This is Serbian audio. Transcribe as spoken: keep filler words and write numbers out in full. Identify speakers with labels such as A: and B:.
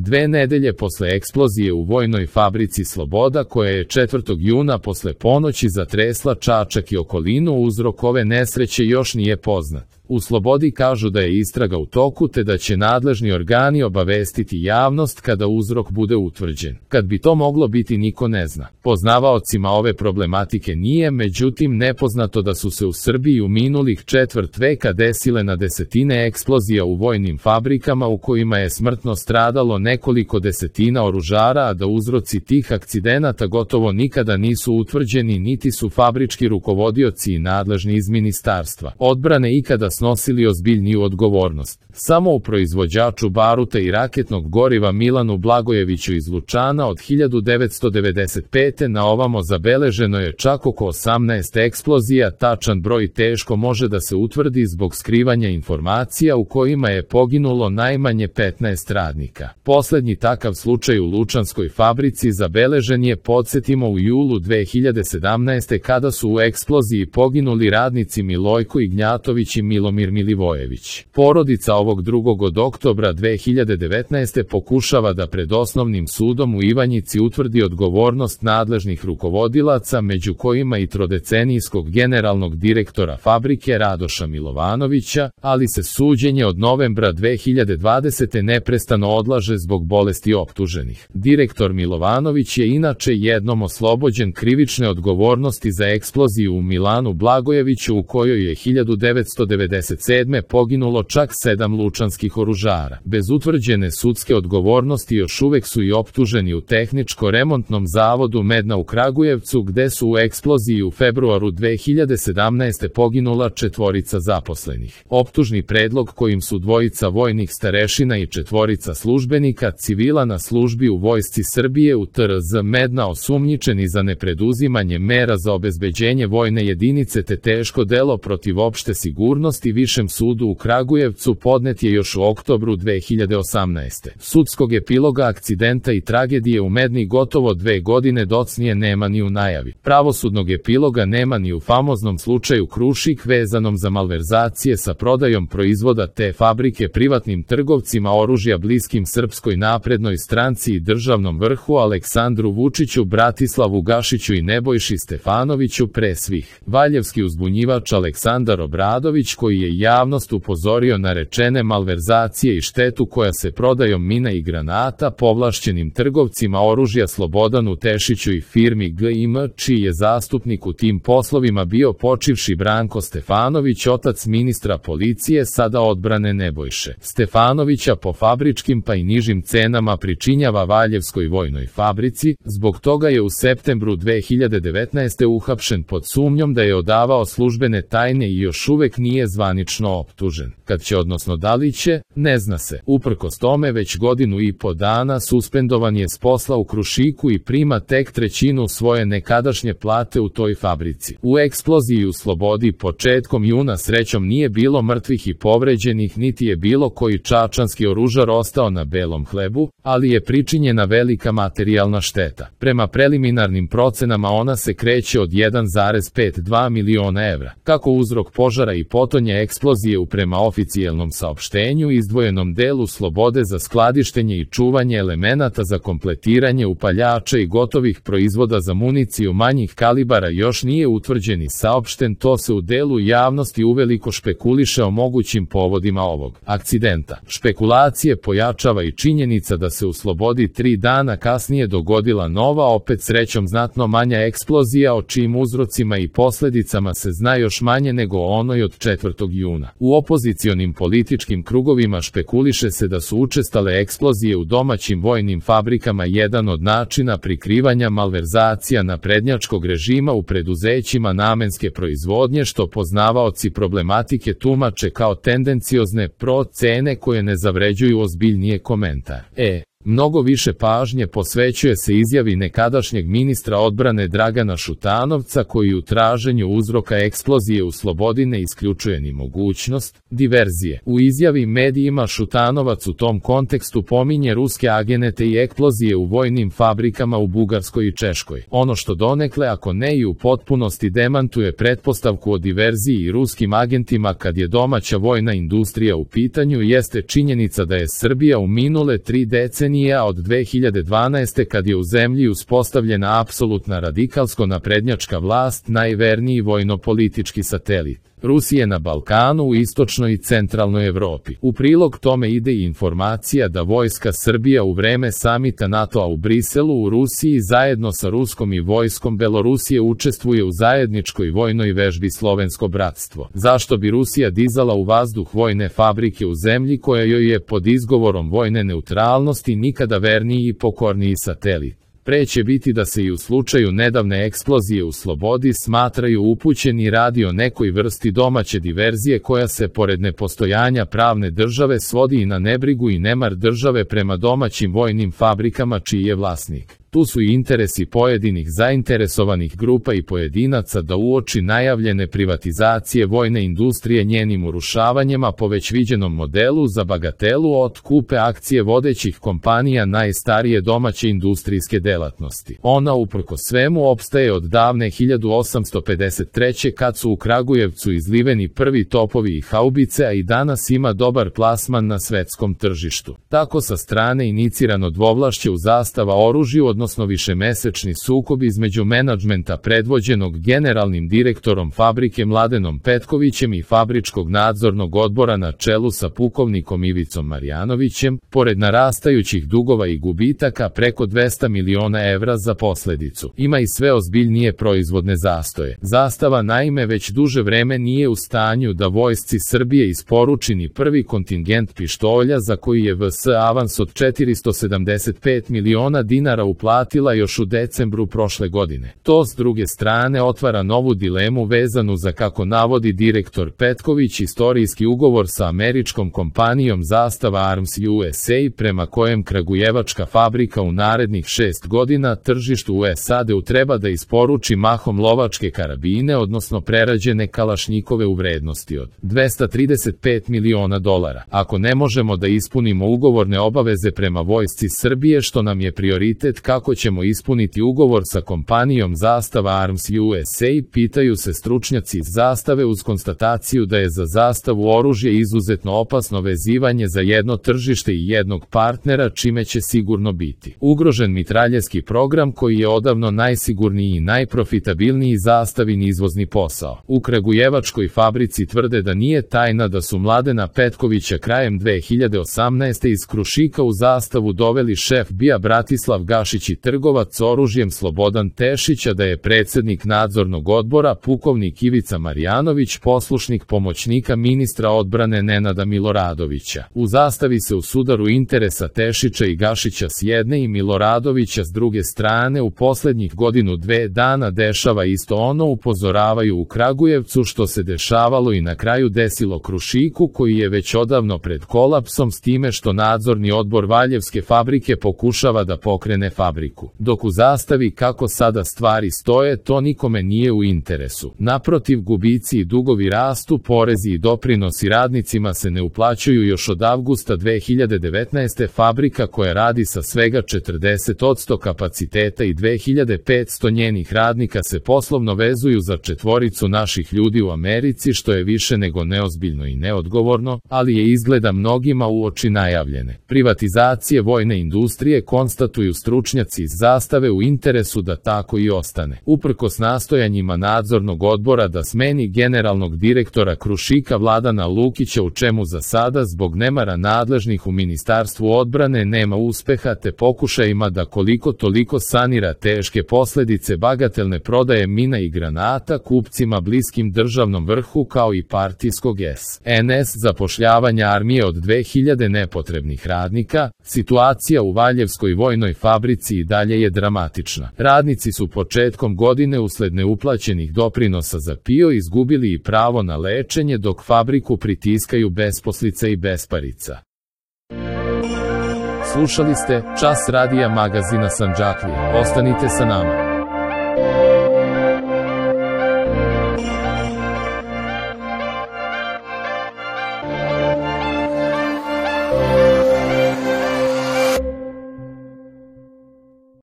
A: Dve nedelje posle eksplozije u vojnoj fabrici Sloboda, koja je četvrtog juna posle ponoći zatresla Čačak i okolinu, uzrok ove nesreće još nije poznat. U Slobodi kažu da je istraga u toku te da će nadležni organi obavestiti javnost kada uzrok bude utvrđen. Kad bi to moglo biti, niko ne zna. Poznavaocima ove problematike nije, međutim, nepoznato da su se u Srbiji u minulih četvrt veka desile na desetine eksplozija u vojnim fabrikama u kojima je smrtno stradalo nekoliko desetina oružara, a da uzroci tih akcidenata gotovo nikada nisu utvrđeni, niti su fabrički rukovodioci i nadležni iz Ministarstva odbrane ikada snosili ozbiljniju odgovornost. Samo u proizvođaču baruta i raketnog goriva Milanu Blagojeviću iz Lučana od hiljadu devetsto devedeset pete na ovamo zabeleženo je čak oko osamnaest eksplozija, tačan broj teško može da se utvrdi zbog skrivanja informacija u kojima je poginulo najmanje petnaest radnika. Poslednji takav slučaj u Lučanskoj fabrici zabeležen je, podsjetimo, u julu dve hiljade sedamnaeste. kada su u eksploziji poginuli radnici Milojko Ignjatović i Milomir Milivojević. Porodica ovog drugog od oktobra dve hiljade devetnaeste. pokušava da pred osnovnim sudom u Ivanjici utvrdi odgovornost nadležnih rukovodilaca, među kojima i trodecenijskog generalnog direktora fabrike Radoša Milovanovića, ali se suđenje od novembra dve hiljade dvadesete. neprestano odlaže zbog bolesti optuženih. Direktor Milovanović je inače jednom oslobođen krivične odgovornosti za eksploziju u Milanu Blagojeviću, u kojoj je hiljadu devetsto devedeset sedme. poginulo čak sedam lučanskih oružara. Bez utvrđene sudske odgovornosti još uvek su i optuženi u Tehničko-remontnom zavodu Medna u Kragujevcu, gde su u eksploziji u februaru dve hiljade sedamnaeste. poginula četvorica zaposlenih. Optužni predlog kojim su dvojica vojnih starešina i četvorica službenika civila na službi u Vojsci Srbije u T R Z Medna osumnjičeni za nepreduzimanje mera za obezbeđenje vojne jedinice te teško delo protiv opšte sigurnosti Višem sudu u Kragujevcu podnet je još u oktobru dve hiljade osamnaeste. Sudskog epiloga akcidenta i tragedije u Medni gotovo dve godine docnije nema ni u najavi. Pravosudnog epiloga nema ni u famoznom slučaju Krušik vezanom za malverzacije sa prodajom proizvoda te fabrike privatnim trgovcima oružja bliskim Srpskoj naprednoj stranci i državnom vrhu Aleksandru Vučiću, Bratislavu Gašiću i Nebojši Stefanoviću, pre svih. Valjevski uzbunjivač Aleksandar Obradović, koji je javnost upozorio na rečene malverzacije i štetu koja se prodajom mina i granata povlašćenim trgovcima oružja Slobodanu Tešiću i firmi G I M, čiji je zastupnik u tim poslovima bio počivši Branko Stefanović, otac ministra policije, sada odbrane Nebojše Stefanovića, po fabričkim pa i nižim cenama pričinjava Valjevskoj vojnoj fabrici. Zbog toga je u septembru dve hiljade devetnaeste. uhapšen pod sumnjom da je odavao službene tajne i još uvek nije zvanično optužen. Kad će, odnosno da li će, ne zna se. Uprkos tome, već godinu i po dana suspendovan je s posla u Krušiku i prima tek trećinu svoje nekadašnje plate u toj fabrici. U eksploziji u Slobodi početkom juna srećom nije bilo mrtvih i povređenih, niti je bilo koji čačanski oružar ostao na belom hlebu, ali je pričinjena velika materijalna šteta. Prema preliminarnim procenama ona se kreće od jedan zarez pedeset dva miliona evra. Kako uzrok požara i potonje eksplozije u prema oficijelnom saopštenju izdvojenom delu Slobode za skladištenje i čuvanje elemenata za kompletiranje upaljača i gotovih proizvoda za municiju manjih kalibara još nije utvrđen i saopšten, to se u delu javnosti uveliko špekuliše o mogućim povodima ovog akcidenta. Špekulacije pojačava i činjenica da se u Slobodi tri dana kasnije dogodila nova, opet srećom znatno manja eksplozija, o čijim uzrocima i posledicama se zna još manje nego o onoj od četvrtog juna. U opozicionim političkim krugovima špekuliše se da su učestale eksplozije u domaćim vojnim fabrikama jedan od načina prikrivanja malverzacija naprednjačkog režima u preduzećima namenske proizvodnje, što poznavaoci problematike tumače kao tendenciozne procene koje ne zavređuju ozbiljnije komentar. E, mnogo više pažnje posvećuje se izjavi nekadašnjeg ministra odbrane Dragana Šutanovca, koji u traženju uzroka eksplozije u Slobodi ne isključuje ni mogućnost diverzije. U izjavi medijima Šutanovac u tom kontekstu pominje ruske agente i eksplozije u vojnim fabrikama u Bugarskoj i Češkoj. Ono što donekle, ako ne i u potpunosti, demantuje pretpostavku o diverziji i ruskim agentima kad je domaća vojna industrija u pitanju, jeste činjenica da je Srbija u minule tri decenije Čečenija od dve hiljade dvanaeste kad je u zemlji uspostavljena apsolutna radikalsko-naprednjačka vlast, najverniji vojno-politički satelit Rusije na Balkanu, u istočnoj i centralnoj Evropi. U prilog tome ide i informacija da vojska Srbija u vreme samita NATO-a u Briselu u Rusiji zajedno sa Ruskom i vojskom Belorusije učestvuje u zajedničkoj vojnoj vežbi Slovensko bratstvo. Zašto bi Rusija dizala u vazduh vojne fabrike u zemlji koja joj je pod izgovorom vojne neutralnosti nikada verniji i pokorniji satelit? Pre će biti da se i u slučaju nedavne eksplozije u Slobodi smatraju upućeni radi o nekoj vrsti domaće diverzije koja se pored nepostojanja pravne države svodi i na nebrigu i nemar države prema domaćim vojnim fabrikama čiji je vlasnik. Tu su i interesi pojedinih zainteresovanih grupa i pojedinaca da uoči najavljene privatizacije vojne industrije njenim urušavanjima po već viđenom modelu za bagatelu otkupe akcije vodećih kompanija najstarije domaće industrijske delatnosti. Ona uprkos svemu opstaje od davne hiljadu osamsto pedeset treće kad su u Kragujevcu izliveni prvi topovi i haubice, a i danas ima dobar plasman na svetskom tržištu. Tako sa strane inicirano dvovlašće u zastava oružju, odnosno višemesečni sukob između menadžmenta predvođenog generalnim direktorom fabrike Mladenom Petkovićem i fabričkog nadzornog odbora na čelu sa pukovnikom Ivicom Marjanovićem, pored narastajućih dugova i gubitaka preko dvesta miliona evra za posledicu, ima i sve ozbiljnije proizvodne zastoje. Zastava naime već duže vreme nije u stanju da vojsci Srbije isporuči ni prvi kontingent pištolja za koji je V S avans od četiristo sedamdeset pet miliona dinara uplatila još u decembru prošle godine. To s druge strane otvara novu dilemu vezanu za, kako navodi direktor Petković, istorijski ugovor sa američkom kompanijom Zastava Arms U S A prema kojem kragujevačka fabrika u narednih šest godina tržištu u S A D-u treba da isporuči mahom lovačke karabine, odnosno prerađene kalašnjikove u vrednosti od dvesta trideset pet miliona dolara. Ako ne možemo da ispunimo ugovorne obaveze prema vojsci Srbije, što nam je prioritet, kako ćemo ispuniti ugovor sa kompanijom Zastava Arms U S A, pitaju se stručnjaci iz Zastave, uz konstataciju da je za Zastavu oružje izuzetno opasno vezivanje za jedno tržište i jednog partnera, čime će sigurno biti ugrožen mitraljevski program koji je odavno najsigurniji i najprofitabilniji Zastavin izvozni posao. U kragujevačkoj fabrici tvrde da nije tajna da su Mladena Petkovića krajem dve hiljade osamnaeste. iz Krušika u Zastavu doveli šef B I A Bratislav Gašić i trgovac oružjem Slobodan Tešić, a da je predsednik nadzornog odbora pukovnik Ivica Marjanović poslušnik pomoćnika ministra odbrane Nenada Miloradovića. U Zastavi se u sudaru interesa Tešića i Gašića s jedne i Miloradovića s druge strane u poslednjih godinu dve dana dešava isto ono, upozoravaju u Kragujevcu, što se dešavalo i na kraju desilo Krušiku, koji je već odavno pred kolapsom, s time što nadzorni odbor Valjevske fabrike pokušava da pokrene fabriku. Dok u Zastavi, kako sada stvari stoje, to nikome nije u interesu. Naprotiv, gubici i dugovi rastu, porezi i doprinosi radnicima se ne uplaćuju još od avgusta dve hiljade devetnaeste. Fabrika koja radi sa svega četrdeset posto kapaciteta i dve hiljade petsto njenih radnika se poslovno vezuju za četvoricu naših ljudi u Americi, što je više nego neozbiljno i neodgovorno, ali je izgleda mnogima uoči najavljene privatizacije vojne industrije, konstatuju stručnjaci iz Zastave, u interesu da tako i ostane. Uprkos nastojanjima nadzornog odbora da smeni generalnog direktora Krušika Vladana Lukića, u čemu za sada zbog nemara nadležnih u Ministarstvu odbrane nema uspeha, te pokušajima da koliko toliko sanira teške posledice bagatelne prodaje mina i granata kupcima bliskim državnom vrhu kao i partijskog S N S zapošljavanja armije od dve hiljade nepotrebnih radnika, situacija u Valjevskoj vojnoj fabrici i dalje je dramatična. Radnici su početkom godine usled neuplaćenih doprinosa za P I O izgubili i pravo na lečenje, dok fabriku pritiskaju besposlica i besparica. Slušali ste Čas radija magazina Sandžaklija. Ostanite sa nama.